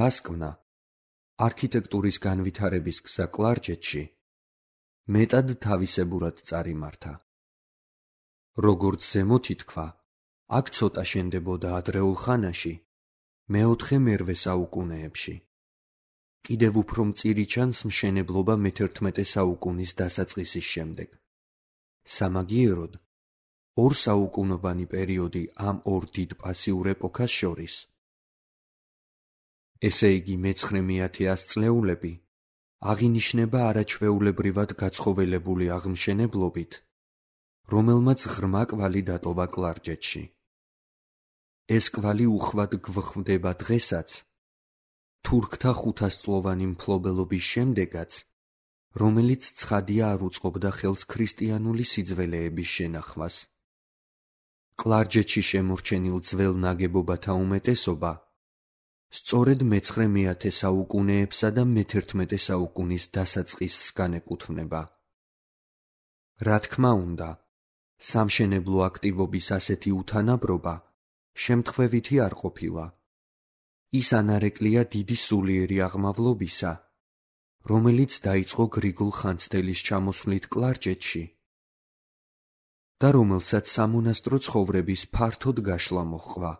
დასკვნა, არქიტექტურის განვითარების გზა კლარჯეთში მეტად თავისებურად წარიმართა. როგორც ზემოთ ითქვა, აქ ცოტა შენდებოდა ადრეულ ხანაში, მეოთხე-მერვე საუკუნეებში. კიდევ უფრო მწირი ჩანს მშენებლობა მე-11 საუკუნის დასაწყისის შემდეგ. სამაგიეროდ, ორ საუკუნოვანი პერიოდი ამ ორ დიდ პასიურ ეპოქას შორის. ესე იგი მე-19 ათწლეულები აღინიშნება არაჩვეულებრივად გაცხოველებული აღმშენებლობით, რომელმაც ღრმა კვალი დატოვა კლარჯეთში. ეს კვალი უხვად გვხვდება დღესაც, თურქთა 500-წლოვანი მფლობელობის შემდეგაც, რომელიც ცხადია არ უწყობდა ხელს ქრისტიანული სიძველეების შენახვას. კლარჯეთში შემორჩენილ ძველ ნაგებობათა უმეტესობა სწორედ მე-19 საუკუნეებსა და მე-11 საუკუნის დასაწყისს განეკუთვნება. რა თქმა უნდა, სამშენებლო აქტივობის ასეთი უთანაბრობა შემთხვევითი არ ყოფილა. ის ანარეკლია დიდი სულიერი აღმავლობისა, რომელიც დაიწყო გრიგოლ ხანძთელის ჩამოსვლით კლარჯეთში და რომელსაც სამონასტრო ცხოვრების ფართოდ გაშლა მოჰყვა.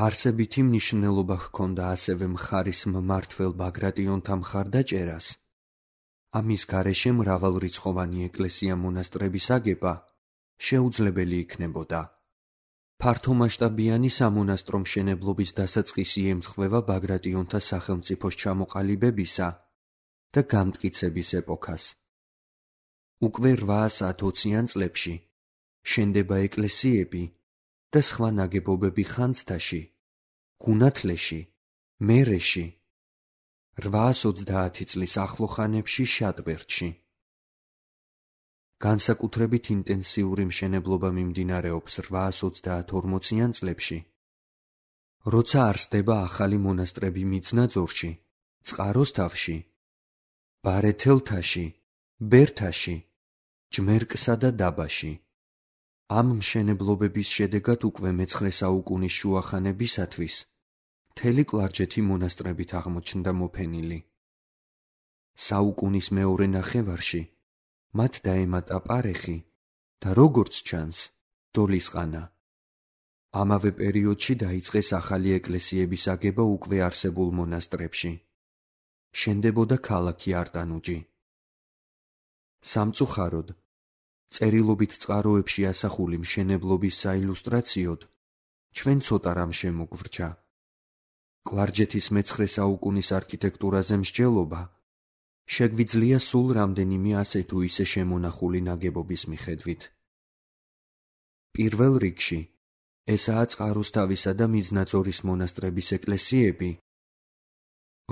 არსებითი მნიშვნელობა ჰქონდა ასევე მხარის მმართველ ბაგრატიონთა მხარდაჭერას, ამის გარეშე მრავალრიცხოვანი ეკლესია-მონასტრების აგება შეუძლებელი იქნებოდა. ფართომასშტაბიანი სამონასტრო მშენებლობის დასაწყისი ემთხვევა ბაგრატიონთა სახელმწიფოს ჩამოყალიბებისა და გამტკიცების ეპოქას. უკვე 820-იან წლებში შენდება ეკლესიები და სხვა ნაგებობები ხანძთაში, გუნათლეში, მერეში, 830 წლის ახლო ხანებში შატბერდში. განსაკუთრებით ინტენსიური მშენებლობა მიმდინარეობს 830-40-იან წლებში, როცა არსდება ახალი მონასტრები მიწნაძორში, წყაროსთავში, ბარეთელთაში, ბერთაში, ჯმერკსა და დაბაში. ამ მშენებლობების შედეგად უკვე მე-9 საუკუნის შუახანებისათვის მთელი კლარჯეთი მონასტრებით აღმოჩნდა მოფენილი. საუკუნის მეორე ნახევარში მათ დაემატა პარეხი და როგორც ჩანს, დოლისყანა. ამავე პერიოდში დაიწყეს ახალი ეკლესიების აგება უკვე არსებულ მონასტრებში. შენდებოდა ქალაქი არტანუჯი. სამწუხაროდ, წერილობით წყაროებში ასახული მშენებლობის საილუსტრაციოდ ჩვენ ცოტა რამ შემოგვრჩა. კლარჯეთის მე-9 საუკუნის არქიტექტურაზე მსჯელობა შეგვიძლია სულ რამდენიმე ასე თუ ისე შემონახული ნაგებობის მიხედვით. პირველ რიგში ესაა წყაროსთავისა და მიზნაძორის მონასტრების ეკლესიები,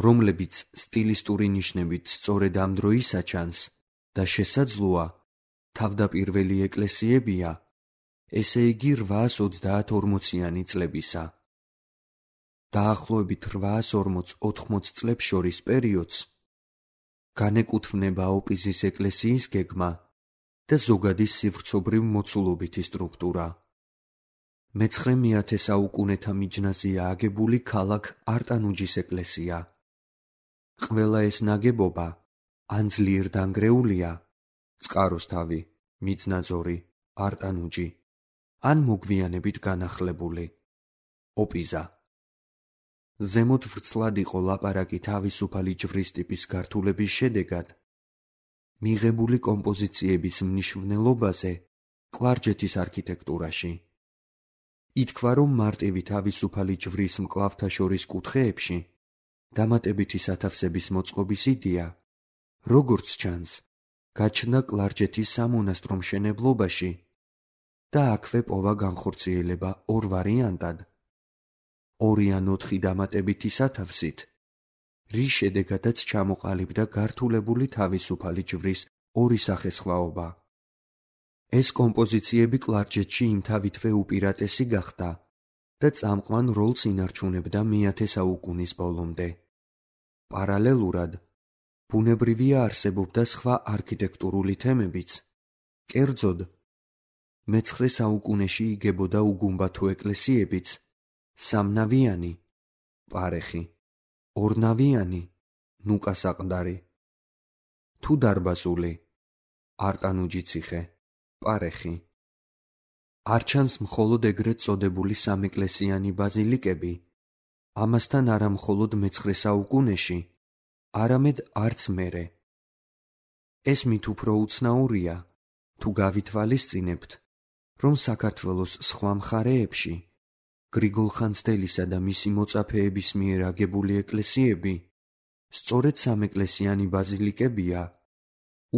რომლებიც სტილისტური ნიშნებით სწორედ ამ დროისა ჩანს და შესაძლოა თავდაპირველი ეკლესიებია, ესე იგი 830-40-იანი წლებისა. დაახლოებით 840-80 წლებს შორის პერიოდს განეკუთვნება ოპიზის ეკლესიის გეგმა და ზოგადი სივრცობრივ მოცულობითი სტრუქტურა. მე-9 საუკუნეთა მიჯნაზია აგებული ქალაქ არტანუჯის ეკლესია. ყველა ეს ნაგებობა ან ძლიერ დანგრეულია, წყაროსთავი, მიწნაძორი, არტანუჯი, ან მოგვიანებით განახლებული, ოპიზა. ზემოთ ვრცლად იყო ლაპარაკი თავისუფალი ჯვრის ტიპის გართულების შედეგად მიღებული კომპოზიციების მნიშვნელობაზე კლარჯეთის არქიტექტურაში. ითქვა, რომ მარტივი თავისუფალი ჯვრის მკლავთა შორის კუთხეებში დამატებითი სათავსების მოწყობის იდეა, როგორც ჩანს, გაჩნდა კლარჯეთის სამონასტრო მშენებლობაში და აქვე პოვა განხორციელება ორ ვარიანტად, 2 ან 4 დამატებითი სათავსით, რის შედეგადაც ჩამოყალიბდა გართულებული თავისუფალი ჯვრის ორი სახესხვაობა. ეს კომპოზიციები კლარჯეთში იმთავითვე უპირატესი გახდა და წამყვან როლს ინარჩუნებდა მე-10 საუკუნის ბოლომდე. პარალელურად, ბუნებრივია არსებობდა სხვა არქიტექტურული თემებიც, კერძოდ, მე-9 საუკუნეში იგებოდა უგუმბათო ეკლესიებიც, სამნავიანი პარეხი, ორნავიანი, ნუკა საყდარი. თუ დარბაზული, არტანუჯი ციხე, პარეხი. არ ჩანს მხოლოდ ეგრეთ წოდებული სამეკლესიანი ბაზილიკები, ამასთან არა მხოლოდ მე-9 საუკუნეში, არამედ არც მერე. ეს მით უფრო უცნაურია, თუ გავითვალისწინებთ, რომ საქართველოს სხვა მხარეებში გრიგოლ ხანძთელისა და მისი მოწაფეების მიერ აგებული ეკლესიები სწორედ სამეკლესიანი ბაზილიკებია,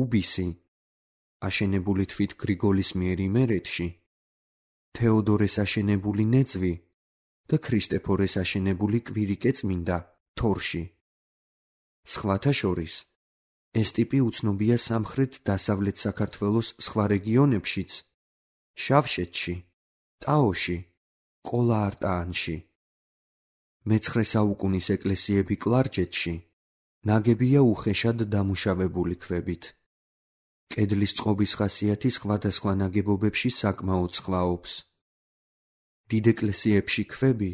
უბისი, აშენებული თვით გრიგოლის მიერ იმერეთში, თეოდორეს აშენებული ნეძვი და ქრისტეფორეს აშენებული კვირიკე წმინდა თორში. სხვათა შორის, ეს ტიპი უცნობია სამხრეთ-დასავლეთ საქართველოს სხვა რეგიონებშიც, შავშეთში, ტაოში, ყოლა-არტაანში. მე-9 საუკუნის ეკლესიები კლარჯეთში ნაგებია უხეშად დამუშავებული ქვებით. კედლის წყობის ხასიათი სხვადასხვა ნაგებობებში საკმაოდ სხვაობს. დიდ ეკლესიებში ქვები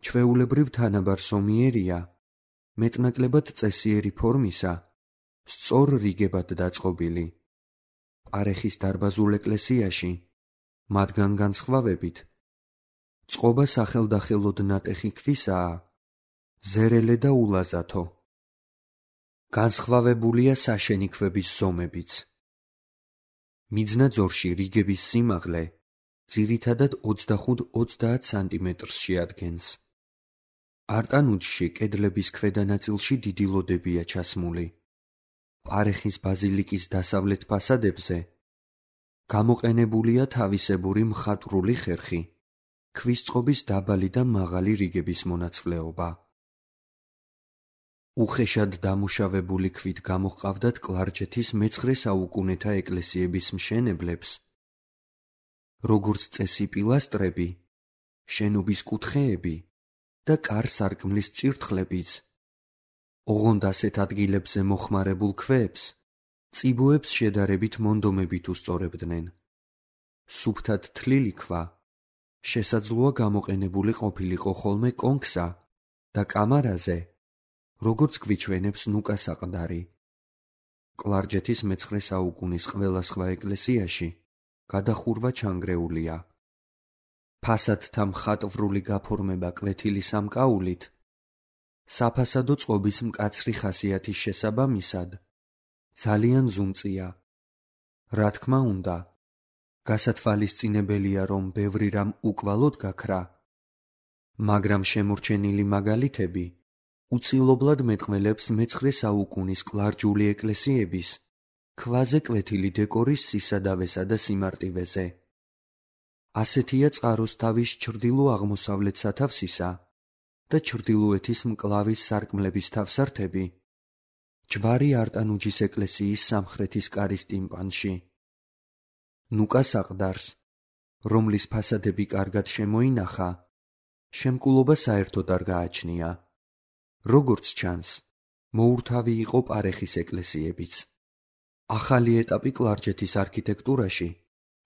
ჩვეულებრივ თანაბარ სომიერია, მეტნაკლებად წესიერი ფორმისა, სწორ რიგებად დაწყობილი. პარეხის დარბაზულ ეკლესიაში, მათგან განსხვავებით, წყობა სახელდახელოდ ნატეხი ქვისაა, ზერელე და ულაზათო. განსხვავებულია საშენი ქვების ზომებიც. მიძნაძორში რიგების სიმაღლე ძირითადად 25-30 სანტიმეტრს შეადგენს. არტანუჯში კედლების ქვედა ნაწილში დიდი ლოდებია ჩასმული. პარეხის ბაზილიკის დასავლეთ ფასადებზე გამოყენებულია თავისებური მხატვრული ხერხი, ქვის წყობის დაბალი და მაღალი რიგების მონაცვლეობა. უხეშად დამუშავებული ქვით გამოჰყავდათ კლარჯეთის მე-9 საუკუნეთა ეკლესიების მშენებლებს, როგორც წესი პილასტრები, შენობის კუთხეები და კარ-სარკმლის წირთხლებიც. ოღონდ ასეთ ადგილებზე მოხმარებულ ქვებს, წიბოებს შედარებით მონდომებით უსწორებდნენ. სუფთად თლილი ქვა შესაძლოა გამოყენებული ყოფილიყო ხოლმე კონქსა და კამარაზე, როგორც გვიჩვენებს ნუკა საყდარი. კლარჯეთის მე-9 საუკუნის ყველა სხვა ეკლესიაში გადახურვა ჩანგრეულია. ფასადთა მხატვრული გაფორმება კვეთილი სამკაულით, საფასადო წყობის მკაცრი ხასიათის შესაბამისად, ძალიან ზუნწია. რა თქმა უნდა, გასათვალისწინებელია, რომ ბევრი რამ უკვალოდ გაქრა, მაგრამ შემორჩენილი მაგალითები უცილობლად მეტყველებს მე-9 საუკუნის კლარჯული ეკლესიების ქვაზე კვეთილი დეკორის სისადავესა და სიმარტივეზე. ასეთია წყაროსთავის ჩრდილო-აღმოსავლეთ სათავსისა და ჩრდილოეთის მკლავის სარკმლების თავსართები ჯვარი არტანუჯის ეკლესიის სამხრეთის კარის ტიმპანში. ნუკა საყდარს, რომლის ფასადები კარგად შემოინახა, შემკულობა საერთოდ არ გააჩნია. როგორც ჩანს, მოურთავი იყო პარეხის ეკლესიებიც. ახალი ეტაპი კლარჯეთის არქიტექტურაში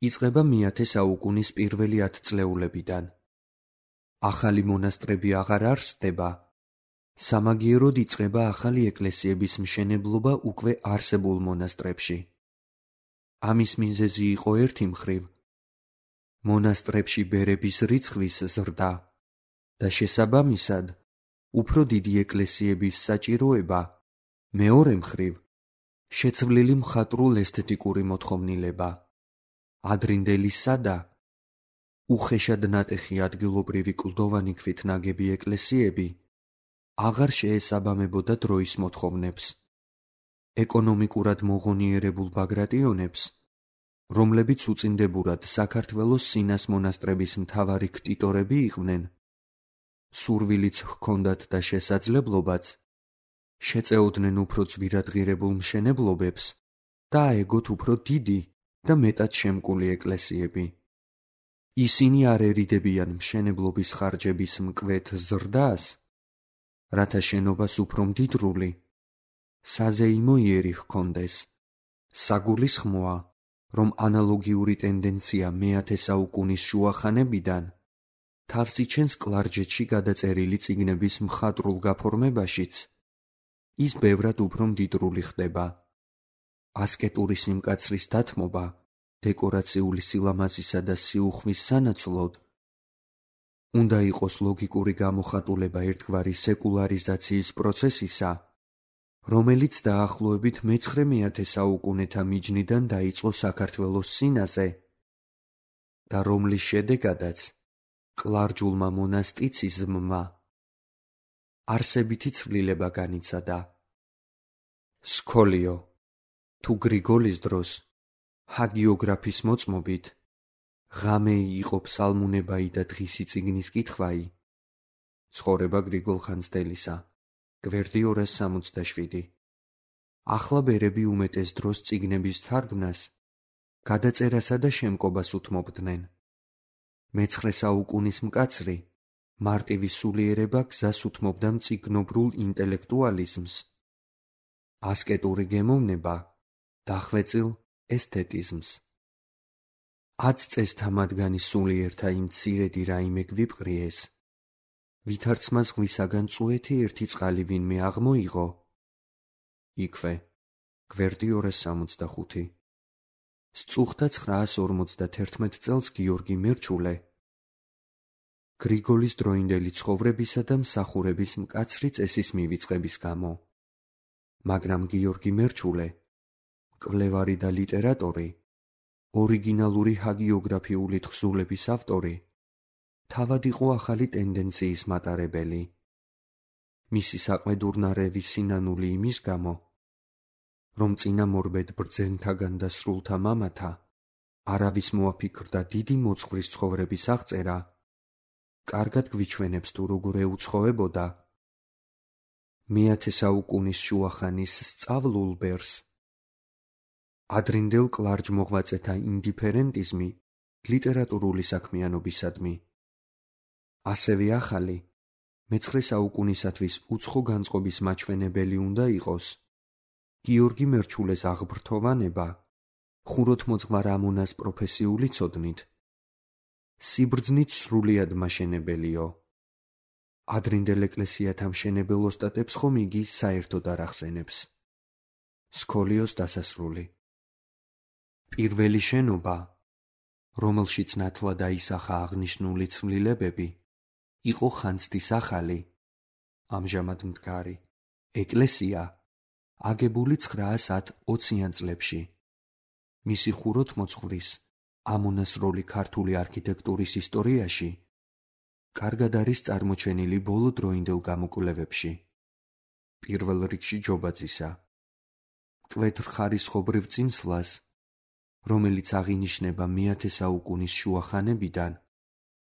იწყება მე-10 საუკუნის პირველი 10 წლეულებიდან. ახალი მონასტრები აღარ არსდება, სამაგიეროდ იწყება ახალი ეკლესიების მშენებლობა უკვე არსებულ მონასტრებში. ამის მიზეზი იყო ერთი მხრივ მონასტრებში ბერების რიცხვის ზრდა და შესაბამისად უფრო დიდი ეკლესიების საჭიროება, მეორე მხრივ შეცვლილი მხატვრულ-ესთეტიკური მოთხოვნილება. ადრინდელი სადა, უხეშად ნატეხი ადგილობრივი კლდოვანი ქვით ნაგები ეკლესიები აღარ შეესაბამებოდა დროის მოთხოვნებს. ეკონომიკურად მოღონიერებულ ბაგრატიონებს, რომლებიც უწინდებურად საქართველოს სინას მონასტრების მთავარი ქტიტორები იყვნენ, სურვილიც ჰქონდათ და შესაძლებლობაც, შეწეოდნენ უფრო ძვირადღირებულ მშენებლობებს და აეგოთ უფრო დიდი და მეტად შემკული ეკლესიები. ისინი არ ერიდებიან მშენებლობის ხარჯების მკვეთ ზრდას, რათა შენობას უფრო მდიდრული, საზეიმო იერი ჰქონდეს. საგულისხმოა, რომ ანალოგიური ტენდენცია მე-10 საუკუნის შუახანებიდან თავს იჩენს კლარჯეთში გადაწერილი წიგნების მხატვრულ გაფორმებაშიც, ის ბევრად უფრო მდიდრული ხდება. ასკეტური სიმკაცრის დათმობა დეკორაციული სილამაზისა და სიუხვის სანაცვლოდ უნდა იყოს ლოგიკური გამოხატულება ერთგვარი სეკულარიზაციის პროცესისა, რომელიც დაახლოებით მე-19 საუკუნეთა მიჯნიდან დაიწყო საქართველოს სინაზე და რომლის შედეგადაც კლარჯულმა მონასტიციზმმა არსებითი ცვლილება განიცადა. სქოლიო თუ გრიგოლის დროს ჰაგიოგრაფის მოწმობით ღამეი იყო ფსალმუნებაი და დღისი წიგნის კითხვაი. ცხოვრება გრიგოლ ხანძთელისა, გვერდი 267. ახლა ბერები უმეტეს დროს წიგნების თარგმნას, გადაწერასა და შემკობას უთმობდნენ. მე-19 საუკუნის მკაცრი მარტივი სულიერება გზას უთმობდა მწიგნობრულ ინტელექტუალიზმს, ასკეტური გემოვნება დახვეწილ ესთეტიზმს. 10 წესთა მათგანი სულიერთა იმ მცირედი რაიმე გვიპყრიეს, ვითარცმა ზღვისაგან წუეთი ერთი წყალი ვინმე აღმოიღო. იქვე, გვერდი 265. სწუხდა 951 წელს გიორგი მერჩულე, გრიგოლის დროინდელი ცხოვრებისა და მსახურების მკაცრი წესის მივიწყების გამო. მაგრამ გიორგი მერჩულე, მკვლევარი და ლიტერატორი, ორიგინალური ჰაგიოგრაფიული თხზულების ავტორი, თავად იყო ახალი ტენდენციის მატარებელი. მისი საყვედურნარევი სინანული იმის გამო, რომ წინამორბედ ბრძენთაგან და სრულთა მამათა არავის მოაფიქრდა დიდი მოძღვრის ცხოვრების აღწერა, კარგად გვიჩვენებს თუ როგორ ეუცხოვებოდა მე-10 საუკუნის შუახანის სწავლულ ბერს. ადრინდელ კლარჯ-მოღვაწეთა ინდიფერენტიზმი ლიტერატურული საქმიანობისადმი. ასევე ახალი, მე-9 საუკუნისათვის უცხო განწყობის მაჩვენებელი უნდა იყოს გიორგი მერჩულეს აღბრთოვანება ხუროთმოძღვარ ამონას პროფესიული ცოდნით, სიბრძნით სრულიად მაშენებელიო. ადრინდელ ეკლესიათა მშენებელ ოსტატებს ხომ იგი საერთოდ არ ახსენებს. სქოლიოს დასასრული. პირველი შენობა, რომელშიც ნათლად აისახა აღნიშნული ცვლილებები, იყო ხანძთის ახალი, ამჟამად მდგარი, ეკლესია, აგებული 910-20-იან წლებში. მისი ხუროთმოძღვრის ამონას როლი ქართული არქიტექტურის ისტორიაში კარგად არის წარმოჩენილი ბოლო დროინდელ გამოკვლევებში. პირველ რიგში ჯობაძისა. მკვეთრ ხარისხობრივ წინსვლას, რომელიც აღინიშნება მე-10 საუკუნის შუახანებიდან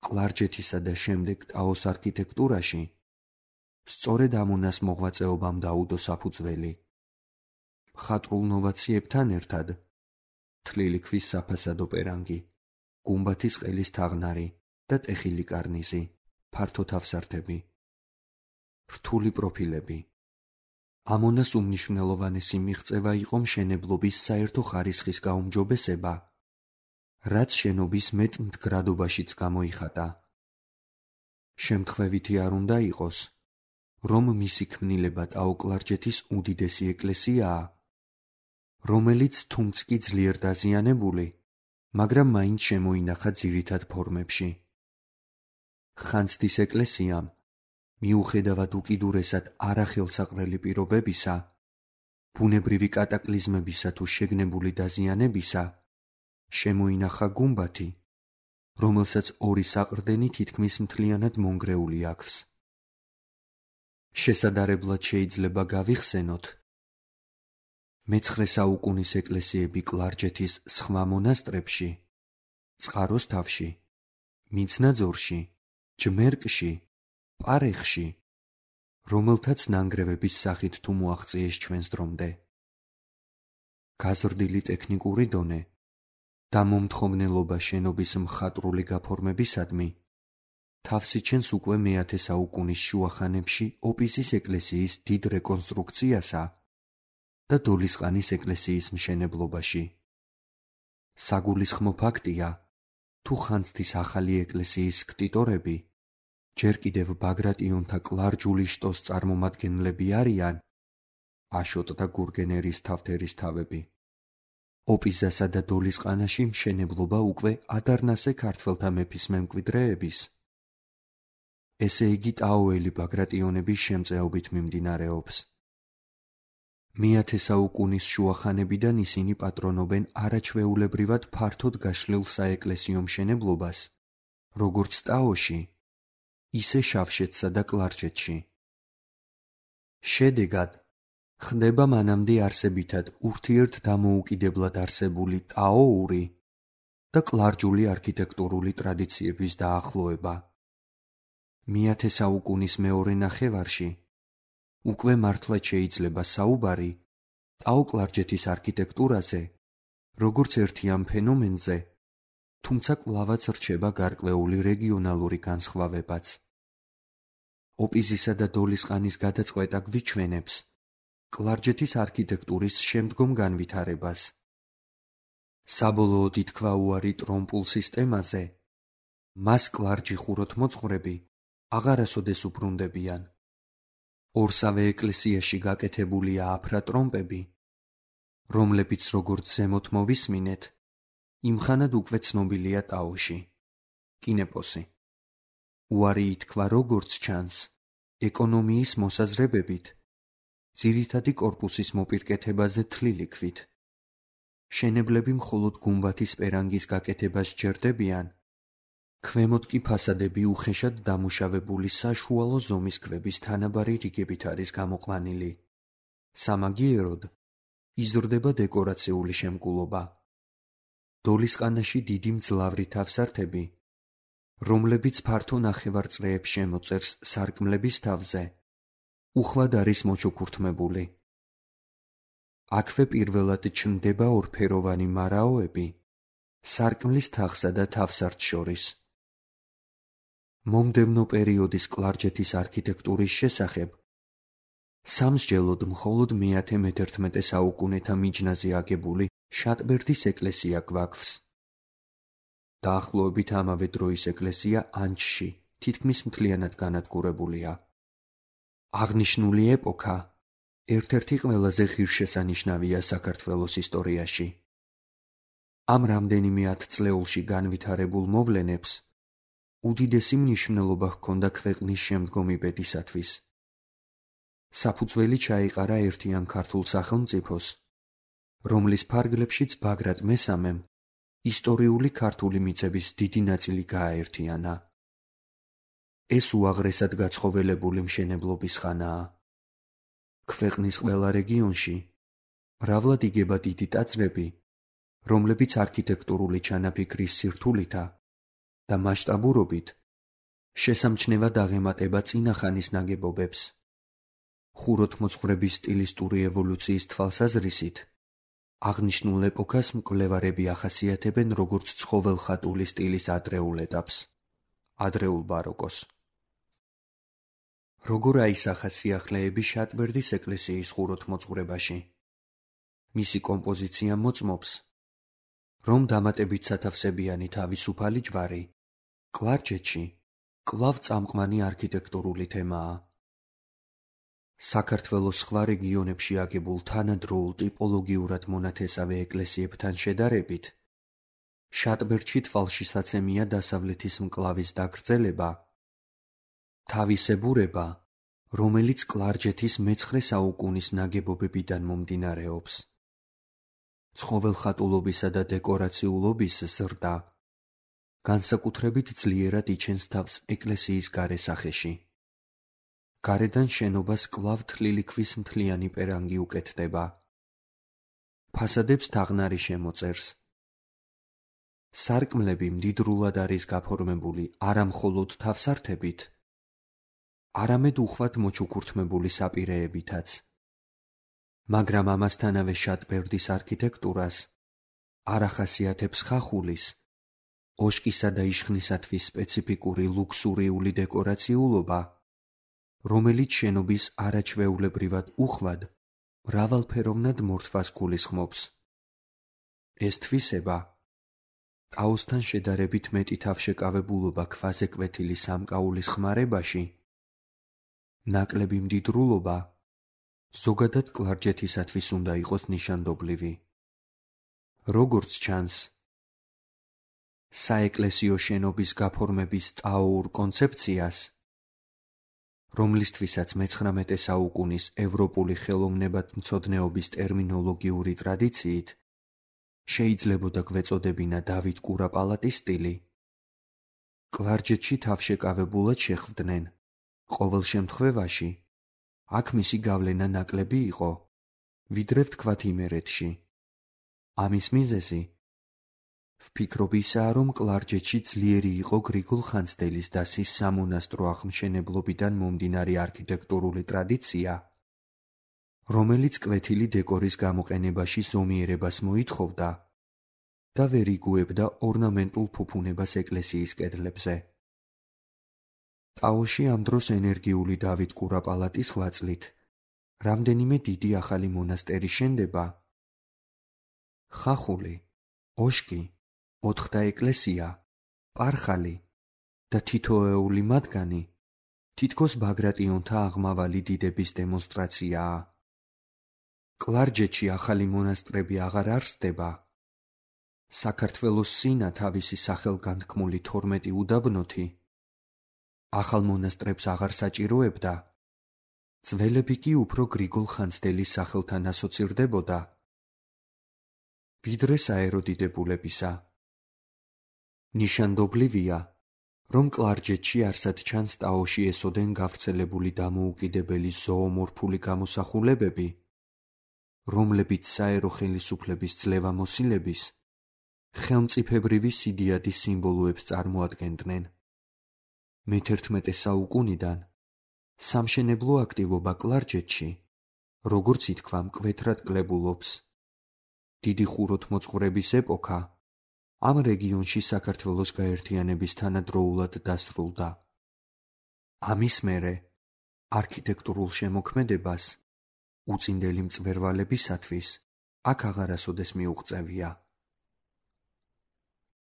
კლარჯეთისა და შემდეგ ტაოს არქიტექტურაში, სწორედ ამონას მოღვაწეობამ დაუდო საფუძველი. მხატვრულ ნოვაციებთან ერთად თლილი ქვის საფასადო პერანგი, გუმბათის ყელის თაღნარი და ტეხილი კარნიზი, ფართო თავსართები, რთული პროფილები. ამონას უმნიშვნელოვანესი მიღწევა იყო მშენებლობის საერთო ხარისხის გაუმჯობესება, რაც შენობის მეტ მდგრადობაშიც გამოიხატა. შემთხვევითი არ უნდა იყოს, რომ მისი ქმნილება ტაო-კლარჯეთის უდიდესი ეკლესიაა, რომელიც თუმც კი ძლიერ დაზიანებული, მაგრამ მაინც შემოინახა ძირითად ფორმებში. ხანძთის ეკლესიამ, მიუხედავად უკიდურესად არახელსაყრელი პირობებისა, ბუნებრივი კატაკლიზმებისა თუ შეგნებული დაზიანებისა, შემოინახა გუმბათი, რომელსაც ორი საყრდენი თითქმის მთლიანად მონგრეული აქვს. შესადარებლად შეიძლება გავიხსენოთ, მე-9 საუკუნის ეკლესიები კლარჯეთის სხვა მონასტრებში, წყაროს თავში, მიცნაძორში, ჯმერკში, პარეხში, რომელთაც ნანგრევების სახით თუ მოაღწიეს ჩვენს დრომდე. გაზრდილი ტექნიკური დონე და მომთხოვნელობა შენობის მხატვრული გაფორმებისადმი თავს იჩენს უკვე მე-10 საუკუნის შუახანებში ოპისის ეკლესიის დიდ რეკონსტრუქციასა და დოლისყანის ეკლესიის მშენებლობაში. საგულისხმო ფაქტია, თუ ხანძთის ახალი ეკლესიის ქტიტორები ჯერ კიდევ ბაგრატიონთა კლარჯული შტოს წარმომადგენლები არიან აშოტ და გურგენ ერისთავთერისთავები. ოპიზასა და დოლისყანაში მშენებლობა უკვე ადარნასე ქართველთა მეფის მემკვიდრეების, ესე იგი ტაოელი ბაგრატიონების შემწეობით მიმდინარეობს. მეათე საუკუნის შუახანებიდან ისინი პატრონობენ არაჩვეულებრივად ფართოდ გაშლილ საეკლესიო მშენებლობას, როგორც ტაოში, ისე შავშეთსა და კლარჯეთში. შედეგად ხდება მანამდე არსებითად ურთიერთდამოუკიდებლად არსებული ტაოური და კლარჯული არქიტექტურული ტრადიციების დაახლოება. მეათე საუკუნის მეორე ნახევარში უკვე მართლაც შეიძლება საუბარი ტაო-კლარჯეთის არქიტექტურაზე, როგორც ერთიან ფენომენზე, თუმცა კვლავაც რჩება გარკვეული რეგიონალური განსხვავებაც. ოპიზისა და დოლისყანის გადაწყვეტა გვიჩვენებს კლარჯეთის არქიტექტურის შემდგომ განვითარებას. საბოლოოდ ითქვა უარი ტრომპულ სისტემაზე, მას კლარჯი ხუროთმოძღვრები აღარასოდეს უბრუნდებიან. ორსავე ეკლესიაში გაკეთებულია აფრატრომპები, რომლებიც როგორც ზემოთ მოვისმინეთ, იმხანად უკვე ცნობილია ტაოში. კინეპოსი. უარი ითქვა როგორც ჩანს, ეკონომიის მოსაზრებებით, ძირითადი კორპუსის მოპირკეთებაზე თლილი ქვით. შენებლები მხოლოდ გუმბათის პერანგის გაკეთებას სჯერდებიან, ქვემოთ კი ფასადები უხეშად დამუშავებული საშუალო ზომის ქვების თანაბარი რიგებით არის გამოყვანილი. სამაგიეროდ იზრდება დეკორაციული შემკულობა. დოლისყანაში დიდი მძლავრი თავსართები, რომლებიც ფართო ნახევარწრეებს შემოწერს სარკმლების თავზე, უხვად არის მოჩუქურთმებული. აქვე პირველად ჩნდება ორფეროვანი მარაოები სარკმლის თაღსა და თავსართს შორის. მომდევნო პერიოდის კლარჯეთის არქიტექტურის შესახებ სამსჯელოდ მხოლოდ მე-11 საუკუნეთა მიჯნაზე აგებული შატბერდის ეკლესია გვაქვს. დაახლოებით ამავე დროის ეკლესია ანჩში თითქმის მთლიანად განადგურებულია. აღნიშნული ეპოქა ერთ-ერთი ყველაზე ღირსშესანიშნავია საქართველოს ისტორიაში. ამ რამდენიმე ათწლეულში განვითარებულ მოვლენებს უდიდესი მნიშვნელობა ჰქონდა ქვეყნის შემდგომი ბედისათვის. საფუძველი ჩაეყარა ერთიან ქართულ სახელმწიფოს, რომლის ფარგლებშიც ბაგრატ მესამემ ისტორიული ქართული მიწების დიდი ნაწილი გააერთიანა. ეს უაღრესად გაცხოველებული მშენებლობის ხანაა. ქვეყნის ყველა რეგიონში მრავლად იგება დიდი ტაძრები, რომლებიც არქიტექტურული ჩანაფიქრის სირთულითა და მასშტაბურობით შესამჩნევად აღემატება წინა ხანის ნაგებობებს. ხუროთმოძღვრების სტილისტური ევოლუციის თვალსაზრისით აღნიშნულ ეპოქას მკვლევარები ახასიათებენ როგორც ცხოველხატული სტილის ადრეულ ეტაპს, ადრეულ ბაროკოს. როგორ აისახა სიახლეები შატბერდის ეკლესიის ხუროთმოძღვრებაში? მისი კომპოზიცია მოწმობს, რომ დამატებით სათავსებიანი თავისუფალი ჯვარი კლარჯეთში კვლავ წამყვანი არქიტექტურული თემაა. საქართველოს სხვა რეგიონებში აგებულ თანადროულ ტიპოლოგიურად მონათესავე ეკლესიებთან შედარებით, შატბერდში თვალშისაცემია დასავლეთის მკლავის დაგრძელება, თავისებურება, რომელიც კლარჯეთის მე-9 საუკუნის ნაგებობებიდან მომდინარეობს. ცხოველხატულობისა და დეკორაციულობის ზრდა განსაკუთრებით ძლიერად იჩენს თავს ეკლესიის გარე სახეში. გარედან შენობას კვლავ თლილი ქვის მთლიანი პერანგი უკეთდება. ფასადებს თაღნარი შემოწერს. სარკმლები მდიდრულად არის გაფორმებული არა მხოლოდ თავსართებით, არამედ უხვად მოჩუქურთმებული საპირეებითაც. მაგრამ ამასთანავე შატბერდის არქიტექტურას არ ახასიათებს ხახულის, ოშკისა და იშხნისათვის სპეციფიკური ლუქსურიული დეკორაციულობა, რომელიც შენობის არაჩვეულებრივად უხვად, მრავალფეროვნად მორთვას გულისხმობს. ეს თვისება ტაოსთან შედარებით მეტი თავშეკავებულობა ქვაზე კვეთილი სამკაულის ხმარებაში, ნაკლები მდიდრულობა ზოგადად კლარჯეთისათვის უნდა იყოს ნიშანდობლივი. როგორც ჩანს, საეკლესიო შენობის გაფორმების ტაოურ კონცეფციას, რომლისთვისაც მე-19 საუკუნის ევროპული ხელოვნებათმცოდნეობის ტერმინოლოგიური ტრადიციით შეიძლებოდა გვეწოდებინა დავით კურაპალატის სტილი, კლარჯეთში თავშეკავებულად შეხვდნენ. ყოველ შემთხვევაში, აქ მისი გავლენა ნაკლები იყო, ვიდრე ვთქვათ იმერეთში. ამის მიზეზი ვფიქრობ ისაა, რომ კლარჯეთში ძლიერი იყო გრიგოლ ხანძთელის დასის სამონასტრო აღმშენებლობიდან მომდინარე არქიტექტურული ტრადიცია, რომელიც კვეთილი დეკორის გამოყენებაში ზომიერებას მოითხოვდა და ვერ იგუებდა ორნამენტულ ფუფუნებას ეკლესიის კედლებზე. ტაოში ამ დროს ენერგიული დავით კურაპალატის ღვაწლით რამდენიმე დიდი ახალი მონასტერი შენდება. ხახული, ოშკი, ოთხთა ეკლესია, პარხალი და თითოეული მათგანი თითქოს ბაგრატიონთა აღმავალი დიდების დემონსტრაციაა. კლარჯეთში ახალი მონასტრები აღარ არსდება. საქართველოს სინა თავისი სახელგანთქმული 12 უდაბნოთი ახალ მონასტრებს აღარ საჭიროებდა, ძველები კი უფრო გრიგოლ ხანძთელის სახელთან ასოცირდებოდა, ვიდრე საერო დიდებულებისა. ნიშანდობლივია, რომ კლარჯეთში არსად ჩანს ტაოში ესოდენ გავრცელებული დამოუკიდებელი ზოომორფული გამოსახულებები, რომლებიც საერო ხელისუფლების ძლევამოსილების, ხელმწიფებრივი სიდიადის სიმბოლოებს წარმოადგენდნენ. მე-11 საუკუნიდან სამშენებლო აქტივობა კლარჯეთში, როგორც ითქვა, მკვეთრად კლებულობს. დიდი ხუროთმოძღვრების ეპოქა ამ რეგიონში საქართველოს გაერთიანების თანადროულად დასრულდა. ამის მერე არქიტექტურულ შემოქმედებას უწინდელი მწვერვალებისათვის აქ აღარასოდეს მიუღწევია.